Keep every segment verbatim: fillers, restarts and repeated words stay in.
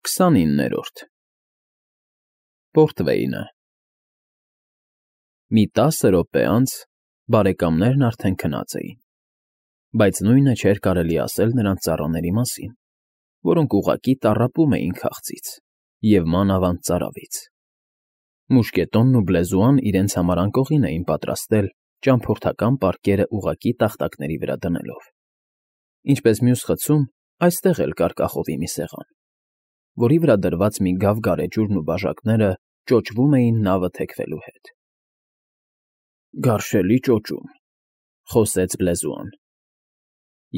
քսանիններորդ Պորտվեյնը Մի տասը րոպե անց բարեկամներն արդեն քնած էին, բայց նույնը չէր կարելի ասել նրանց ծառաների մասին, որոնք ուղղակի տառապում էին քաղցից և մանավանդ ծարավից. մուշկետոնն ու բլեզուան իրենց համար անկողին էին պատրաստել ճամփորդական պարկերը ուղղակի տախտակների վրա դնելով. ինչպես մյուս խցում, այստեղ էլ կար կախովի մի սեղան, որի վրա դրված մի գավ գարեջուրն ու բաժակները ճոճվում էին նավը թեքվելու հետ։ ֊ Գարշելի ճոճում,֊ խոսեց բլեզուան։֊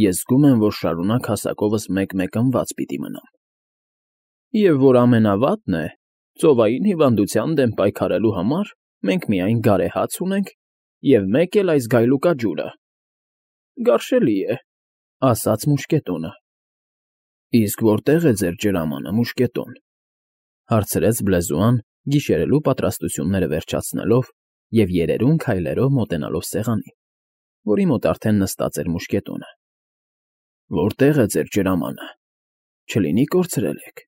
Ես զգում եմ, որ շարունակ հասակովս մեկ֊մեկ ըմբաց պիտի մնամ։ Եվ որ ամենավատն է, ծովային հիվանդության դեմ պայքարելու համար մենք միայն գարեհաց ունենք և մեկ էլ այս գայլուկաջուրը։ ֊ Գարշելի է,֊ ասաց մուշկետոնը։ ֊ Իսկ որտե՞ղ է ձեր ջրամանը, մուշկետո՛ն,֊ հարցրեց բլեզուան, գիշերելու պատրաստությունները վերջացնելով և երերուն քայլերով մոտենալով սեղանին, որի մոտ արդեն նստած էր մուշկետոնը։ ֊ Որտե՞ղ է ձեր ջրամանը, չլինի կորցրել եք։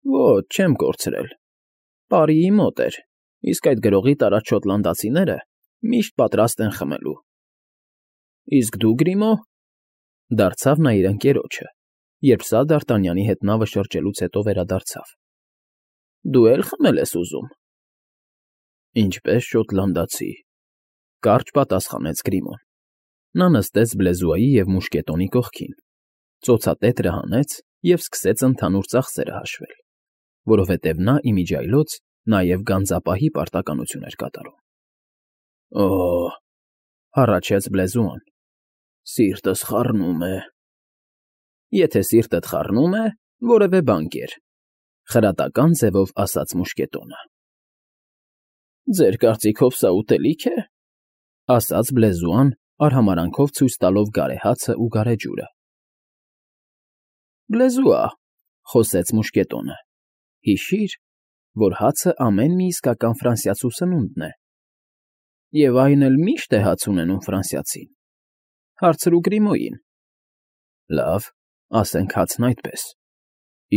֊ Ոչ, չեմ կորցրել, պարիի մոտ էր, իսկ այդ գրողի տարած շոտլանդացիները միշտ պատրաստ են խմելու։ ֊ Իսկ դու, Գրիմո,֊ դարձավ նա իր ընկերոջը, երբ սա Դ'Արտանյանի հետ նավը շրջելուց հետո վերադարձավ։ ֊ Դու է՞լ խմել ես ուզում։ ֊ Ինչպես շոտլանդացի,֊ կարճ պատասխանեց Գրիմոն։ Նա նստեց բլեզուայի և մուշկետոնի կողքին, ծոցատետրը հանեց և սկսեց ընդհանուր ծախսերը հաշվել, որովհետև նա ի միջիայլոց նաև գանձապահի պարտականություն էր կատարում։ ֊ Օ՜օ,֊ հառաչեց բլեզուան,֊ սիրտս խառնում է։ ֊ Եթե սիրտդ խառնում է, որևէ բան կեր,֊ խրատական ձևով ասաց մուշկետոնը։ ֊ Ձեր կարծիքով սա ուտելի՞ք է,֊ ասաց բլեզուան, արհամարհանքով ցույց տալով գարեհացն ու գարեջուրը։ ֊ Բլեզուա,֊ խոսեց մուշկետոնը,֊ հիշի՛ր, որ հացը ամեն մի իսկական ֆրանսիացու սնունդն է, և այն էլ միշտ է հաց ունենում ֆրանսիացին։ Հարցրու Գրիմոյին։ ֊ Լավ, ասենք հացն այդպես։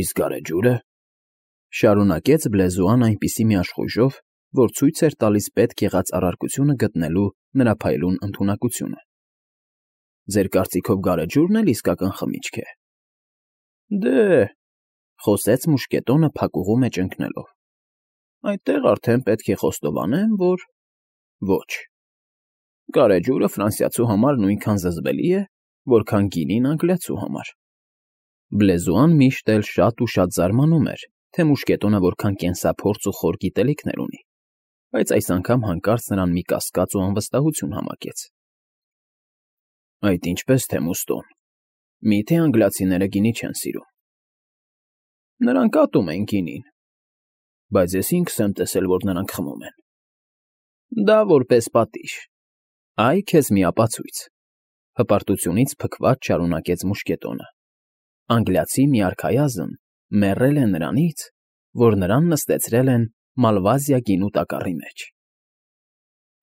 Իսկ գարեջուրը,֊ շարունակեց բլեզուան այնպիսի մի աշխույժով, որ ցույց էր տալիս պետք եղած առարկությունը գտնելու նրա փայլուն ընդունակությունը։ ֊ Ձեր կարծիքով գարեջուրն էլ իսկական խմիչք է։ ֊ Դե,֊ խոսեց մուշկետոնը փակուղու մեջ ընկնելով,֊ այդտեղ արդեն պետք է խոստովանեմ, որ… ոչ։ Գարեջուրը ֆրանսիացու համար նույնքան զզվելի է, որքան գինին անգլիացու համար։ Բլեզուան միշտ էլ շատ ու շատ զարմանում էր, թե մուշկետոնը որքան կենսափորձ ու խոր գիտելիքներ ունի, բայց այս անգամ հանկարծ նրան մի կասկած ու անվստահություն համակեց։ ֊ Այդ ինչպես թե, Մուստոն, մի՞թե անգլիացիները գինի չեն սիրում։ ֊ Նրանք ատում են գինին, բայց ես ինքս եմ տեսել, որ նրանք խմում են։ ֊ Դա որպես պատիժ։ Այ քեզ մի ապացույց,֊ հպարտությունից փքված շարունակեց մուշկետոնը։ Անգլիացի մի արքայազն մեռել է նրանից, որ նրան նստեցրել են Մալվազիա գինու տակառի մեջ։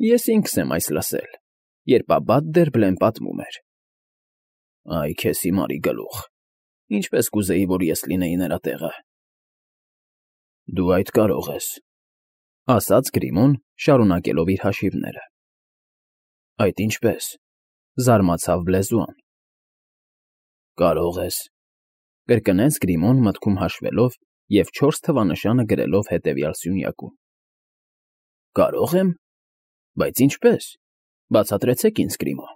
Ես ինքս եմ այս լսել, երբ Աբբատ Դերբլեն պատմում էր։ ֊ Այ քեզ հիմարի գլուխ, ինչպես կուզեի, որ ես լինեի նրա տեղը։ ֊ Դու այդ կարող ես,֊ ասաց Գրիմոն, շարունակելով իր հաշիվները։ ֊ Այդ ինչպես,֊ զարմացավ բլեզուան։ ֊ Կարող ես,֊ կրկնեց Գրիմոն մտքում հաշվելով և չորս թվանշանը գրելով հետևյալ սյունյակում։ ֊ Կարո՞ղ եմ, բայց ինչպե՞ս, բացատրեցեք ինձ, Գրիմո։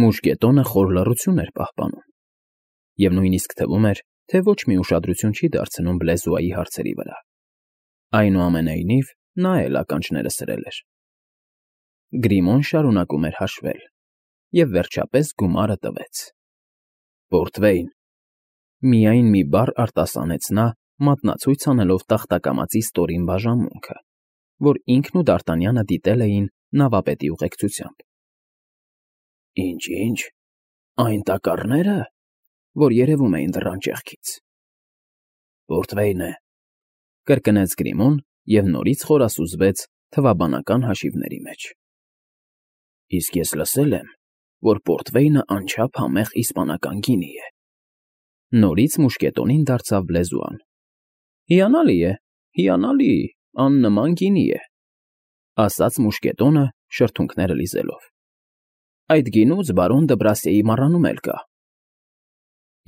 Մուշկետոնը խոր լռություն էր պահպանում, և նույնիսկ թվում էր, թե ոչ մի ուշադրություն չի դարձնում բլեզուայի հարցերի վրա։ Այնուամենայնիվ, նա էլ ականջները սրել էր։ Գրիմոն շարունակում էր հաշվել և, վերջապես, գումարը տվեց։ ֊ Պորտվեյն,֊ միայն մի բառ արտասանեց նա, մատնացույց անելով տախտակամածի ստորին բաժանմունքը, որ ինքն ու Դ'Արտանյանը դիտել էին նավապետի ուղեկցությամբ։ ֊ Ինչ֊ինչ, այն տակառնե՞րը, որ երևում էին դռան ճեղքից։ ֊ Պորտվեյն է,֊ կրկնեց Գրիմոն և նորից խորասուզվեց թվաբանական հաշիվների մեջ։ ֊ Իսկ ես լսել եմ, որ պորտվեյնը անչափ համեղ իսպանական գինի է։ Նորից մուշկետոնին դարձավ լեզուան։ Հիանալի է, հիանալի, աննման գինի է, ասաց մուշկետոնը շրթունքները լիզելով։ Այդ գինուց բարոն Դբրասիեի մառանում էլ կա։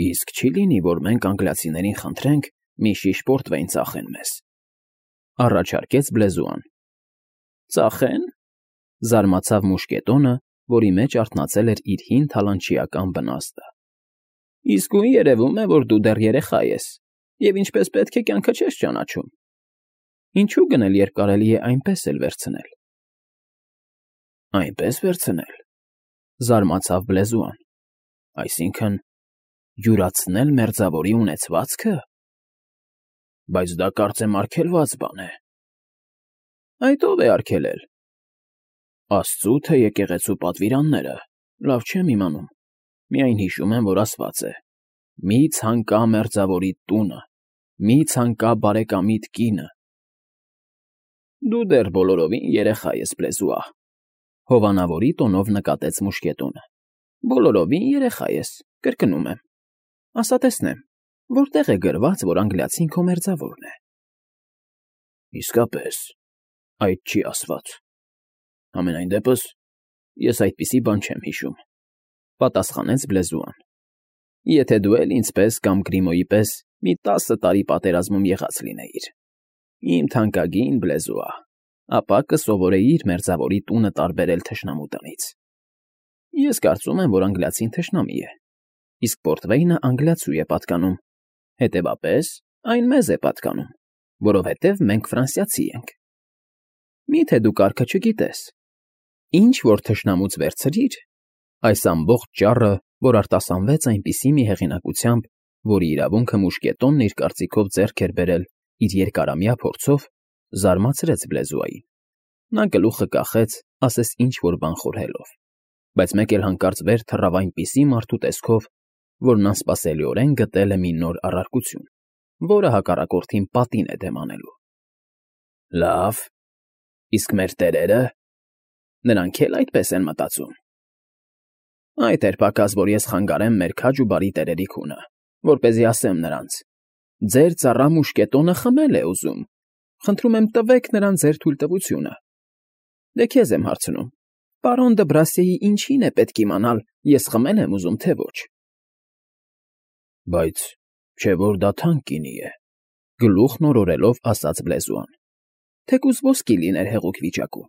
Իսկ չի լինի, որ մենք անգլիացիներին խնդրենք մի շիշ պորտվեյն ծախեն մեզ, առաջարկեց բլեզուան։ Ծախեն, զարմացավ մուշկետոնը, որի մեջ արթնացել էր իր հին թալանչիական բնաստը։ Իսկույն երևում է, որ դու դեռ երեխա ես, և ինչպես պետք է կյանքը չես ճանաչում։ Ինչու գնել, երբ կարելի է այնպես էլ վերցնել։ Այնպես վերցնել, զարմացավ բլեզուան, այսինքն՝ յուրացնել մերձավորի ունեցվածքը։ Բայց դա կարծեմ արգելված բան է։ Այդ ո՞վ է արգելել։ Աստծու թե եկեղեցու պատվիրանները, լավ չեմ իմանում, միայն հիշում եմ, որ ասված է. «Մի ցանկա մերձավորիդ տունը, մի ցանկա բարեկամիդ կինը»։ Դու դեռ բոլորովին երեխա ես, բլեզուա, հովանավորի տոնով նկատեց մուշկետոնը։ Բոլորովին երեխա ես, կրկնում եմ։ Ասա տեսնեմ, որտեղ է գրված, որ անգլիացին քո մերձավորն է։ Իսկապես, այդ չի ասված։ Համենայն դեպս, ես այդպիսի բան չեմ հիշում, պատասխանեց բլեզուան։ Եթե դու էլ ինձ պես կամ Գրիմոյի պես մի տասը տարի պատերազմում եղած լինեիր, իմ թանկագին բլեզուա, ապա կսովորեիր մերձավորի տունը տարբերել թշնամու տնից։ Ես կարծում եմ, որ անգլիացին թշնամի է, իսկ պորտվեյնը անգլիացու է պատկանում, հետևաբար այն մեզ է պատկանում, որովհետև մենք ֆրանսիացի ենք։ Մի՞թե դու կարգը չգիտես։ Ինչ որ թշնամուց վերցրիր, այս ամբողջ ճառը, որ արտասանվեց այնպիսի մի հեղինակությամբ, որի իրավունքը մուշկետոնն իր կարծիքով ձեռք էր բերել իր երկարամյա փորձով, զարմացրեց բլեզուային։ Նա գլուխը կախեց, ասես ինչ-որ բան խորհելով, բայց մեկ էլ հանկարծ վեր թռավ այնպիսի մարդու տեսքով, որն անսպասելիորեն գտել է մի նոր առարկություն, որը հակառակորդին պատին է դեմ անելու։ Լավ, իսկ մեր տերերը, նրանք էլ այդպես են մտածում։ Այդ էր պակաս, որ ես խանգարեմ մեր քաջ ու բարի տերերի քունը, որպեսզի ասեմ նրանց. ձեր ծառա մուշկետոնը խմել է ուզում, խնդրում եմ տվեք նրան ձեր թույլտվությունը։ Դե քեզ եմ հարցնում, պարոն Դբրասիեի ինչին է պետք իմանալ, ես խմել եմ ուզում, թե ոչ։ Բայց չէ՞ որ դա թանկ գինի է, գլուխն օրորելով ասաց բլեզուան։ Թեկուզ ոսկի լիներ հեղուկ վիճակում։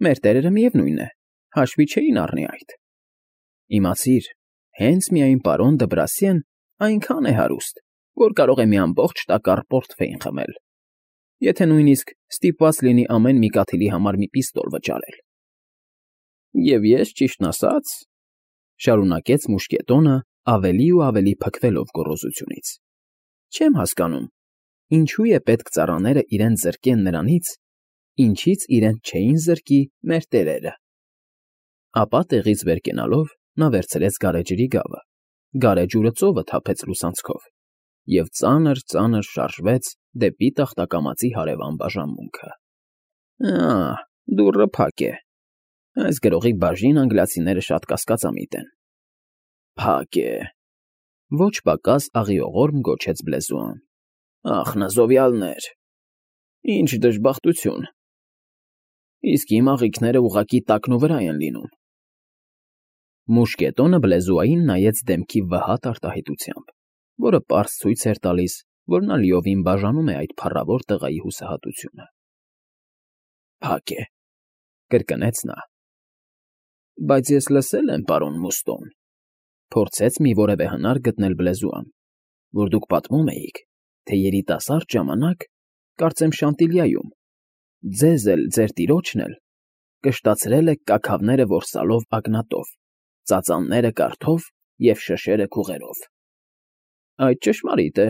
Մեր տերերը միևնույն է, հաշվի չէին առնի այդ։ Իմացիր, հենց միայն պարոն Դբրասիեն այնքան է հարուստ, որ կարող է մի ամբողջ տակառ պորտֆեյն խմել, եթե նույնիսկ ստիպված լինի ամեն մի կաթիլի համար մի պիստոլ վճարել։ Եվ ես, ճիշտն ասած, շարունակեց մուշկետոնը ավելի ու ավելի փքվելով գոռոզությունից, չեմ հասկանում, ինչու է պետք ծառաները իրենց զրկեն նրանից, ինչից իրենց չէին զրկի մեր տերերը։ Ապա տեղից վեր կենալով նա վերցրեց գարեջրի գավը, գարեջուրը ծովը թափեց լուսանցքով և ծանր֊ծանր շարժվեց դեպի տախտակամածի հարևան բաժանմունքը։ Ա՜, դուռը փակ է։ Այս գրողի բաժին անգլիացիները շատ կասկածամիտ են։ Փակ է։ Ոչ պակաս աղիողորմ գոչեց բլեզուան։ Ախ, նզովյալներ, ինչ դժբախտություն։ Իսկ իմ աղիքները ուղղակի տակնու վրա են լինում։ Մուշկետոնը բլեզուային նայեց դեմքի վհատ արտահայտությամբ, որը պարզ ցույց էր տալիս, որ նա լիովին բաժանում է այդ փառավոր տղայի հուսահատությունը։ Փակ է, կրկնեց նա։ Բայց ես լսել եմ, պարոն Մուստոն, փորձեց մի որևէ հնար գտնել բլեզուան, որ դուք պատմում էիք, թե երիտասարդ ժամանակ, կարծեմ Շանտիլիայում, ձեզ էլ, ձեր տիրոջն էլ, կշտացրել եք կաքավները որսալով ագնատով, ծածանները կարթով և շշերը քուղերով։ Այդ ճշմարիտ է,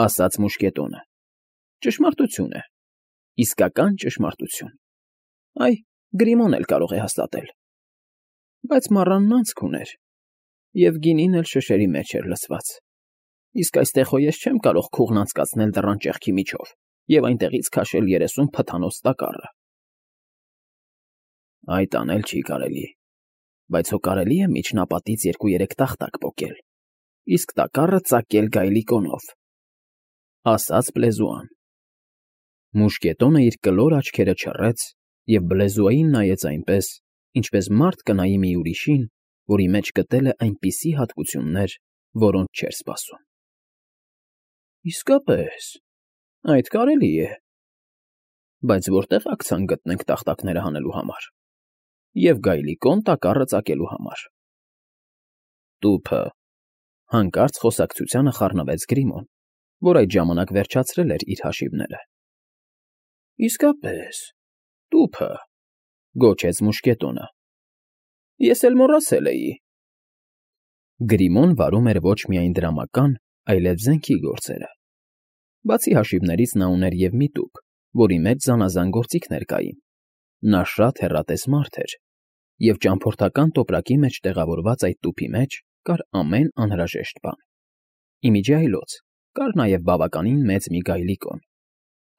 ասաց մուշկետոնը։ Ճշմարտություն է, իսկական ճշմարտություն։ Այ, Գրիմոն էլ կարող է հաստատել։ Բայց մառանն անցք ուներ, և գինին էլ շշերի մեջ էր լցված։ Իսկ այստեղ հո ես չեմ կարող քուղն անցկացնել դռան ճեղքի միջով և այնտեղից քաշել երեսուն փթանոց տակառը։ Այդ անել չի կարելի, բայց հո կարելի է միջնապատից երկու֊երեք տախտակ պոկել իսկ տակառը ծակել գայլիկոնով, ասաց Բլեզուան։ Մուշկետոնը իր կլոր աչքերը չռեց և Բլեզուային նայեց այնպես, ինչպես մարդ կնայի մի ուրիշին, որի մեջ գտել է այնպիսի հատկություններ, որոնց չէր սպասում։ Իսկապես, այդ կարելի է, բայց որտե՞ղ աքցան գտնենք տախտակները հանելու համար և գայլիկոն տակառը ծակելու համար։ Տուփը, հանկարծ խոսակցությանը խառնվեց Գրիմոն, որ այդ ժամանակ վերջացրել էր իր հաշիվները։ Իսկապես, տուփը, գոչեց մուշկետոնը։ Ես էլ մոռացել էի։ Գրիմոն վարում էր ոչ միայն դրամական, այլև զենքի գործերը։ Բացի հաշիվներից նա ուներ և մի տուփ, որի մեջ զանազան գործիքներ կային։ Նա շատ հեռատես մարդ էր, և ճամփորդական տոպրակի մեջ տեղավորված այդ տուփի մեջ կար ամեն անհրաժեշտ բան։ Ի միջի այլոց կար նաև բավականին մեծ մի գայլիկոն։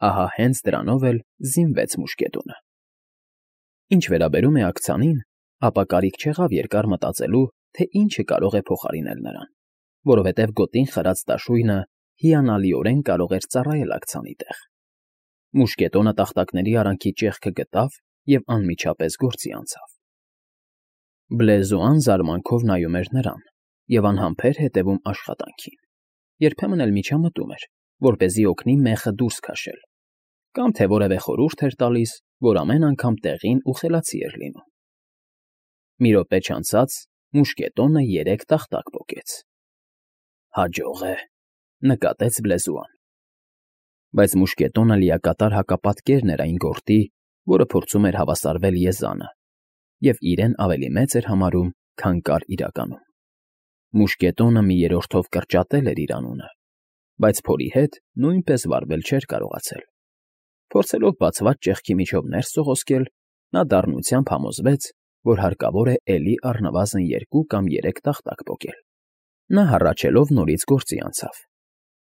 Ահա հենց դրանով էլ զինվեց մուշկետոնը։ Ինչ վերաբերում է աքցանին, ապա կարիք չեղավ երկար մտածելու, թե ինչը կարող է փոխարինել նրան, որովհետև գոտին խրած դաշույնը հիանալիորեն կարող էր ծառայել աքցանի տեղ։ Մուշկետոնը տախտակների արանքի ճեղքը գտավ և անմիջապես գործի անցավ։ Բլեզուան զարմանքով նայում էր նրան և անհամբեր հետևում աշխատանքին, երբեմն էլ միջամտում էր, որպեսզի օգնի մեխը դուրս քաշել, կամ թե որևէ խորհուրդ էր տալիս, որ ամեն անգամ տեղին ու խելացի էր լինում։ Մի րոպե չանցած մուշկետոնը երեք տախտակ պոկեց։ Հաջող է, նկատեց Բլեզուան։ Բայց մուշկետոնը լիակատար հակապատկերն էր այն գորտի, որը փորձում էր հավասարվել եզանը, և իրեն ավելի մեծ էր համարում, քան կար իրականում։ Մուշկետոնը մի երրորդով կրճատել էր իր անունը, բայց փորի հետ նույնպես վարվել չէր կարողացել։ Փորձելով բացված ճեղքի միջով ներս սողոսկել, նա դառնությամբ համոզվեց, որ հարկավոր է էլի առնվազն երկու կամ երեք տախտակ պոկել։ Նա հառաչելով նորից գործի անցավ։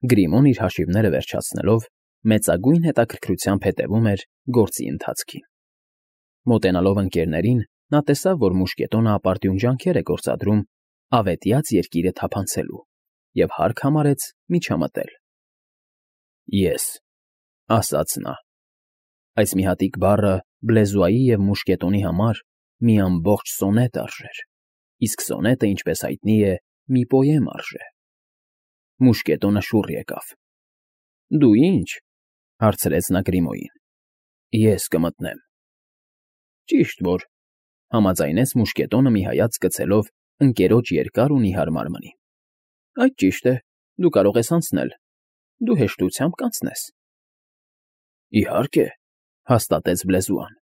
Գրիմոն իր հաշիվները վերջացնելով մեծագույն հետաքրքրությամբ հետևում էր գործի ընթացքին։ Մոտենալով ընկերներին, նա տեսավ, որ մուշկետոնը ապարդյուն ջանքեր է գործադրում ավետյաց երկիրը թափանցելու և հարկ համարեց միջամտել։ Ես, ասաց նա, այս մի հատիկ բառը Բլեզուայի և մուշկետոնի համար մի ամբողջ սոնետ արժեր, իսկ սոնետը, ինչպես հայտնի է, մի պոեմ արժե։ Մուշկետոնը շուռ եկավ։ Դու ի՞նչ, հարցրեց նա Գրիմոյին։ Ես կմտնեմ։ Ճիշտ որ, համաձայնեց մուշկետոնը մի հայացք գցելով ընկերոջ երկար ու նիհար մարմնին։ Այդ ճիշտ է, դու կարող ես անցնել, դու հեշտությամբ կանցնես։ Իհարկե, հաստատեց Բլեզուան։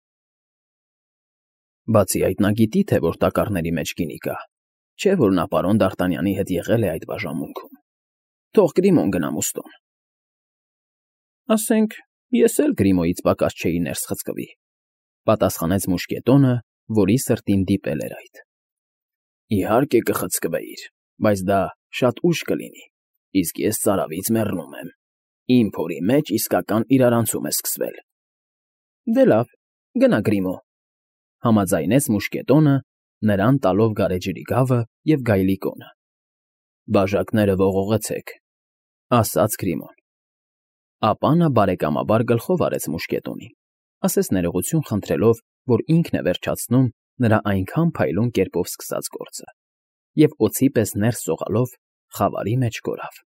Բացի այդ, նա գիտի, թե որ տակառների մեջ գինի կա, չէ՞ որ նա պարոն Դ'Արտանյանի հետ եղել է այդ բաժանմունքում։ Թող Գրիմոն գնա մուստոն։ Ասենք, ես էլ Գրիմոյից պակաս չէի ներս խցկվի, պատասխանեց մուշկետոնը, որի սրտին դիպել էր այդ։ Իհարկե կխցկվեիր, բայց դա շատ ուշ կլինի, իսկ ես ծարավից մեռնում եմ։ Իմ փորի մեջ իսկական իրարանցում է սկսվել։ Դե լավ, գնա Գրիմո, համաձայնեց մուշկետոնը, նրան տալով գարեջրի գավը և գայլիկոնը։ Բաժակները ողողեցեք, ասաց Գրիմոն։ Ապա նա բարեկամաբար գլխով արեց մուշկետոնին, ասես ներողություն խնդրելով, որ ինքն է վերջացնում նրա այնքան փայլուն կերպով սկսած գործը, և օձի պես ներս սողալով խավարի մեջ կորավ։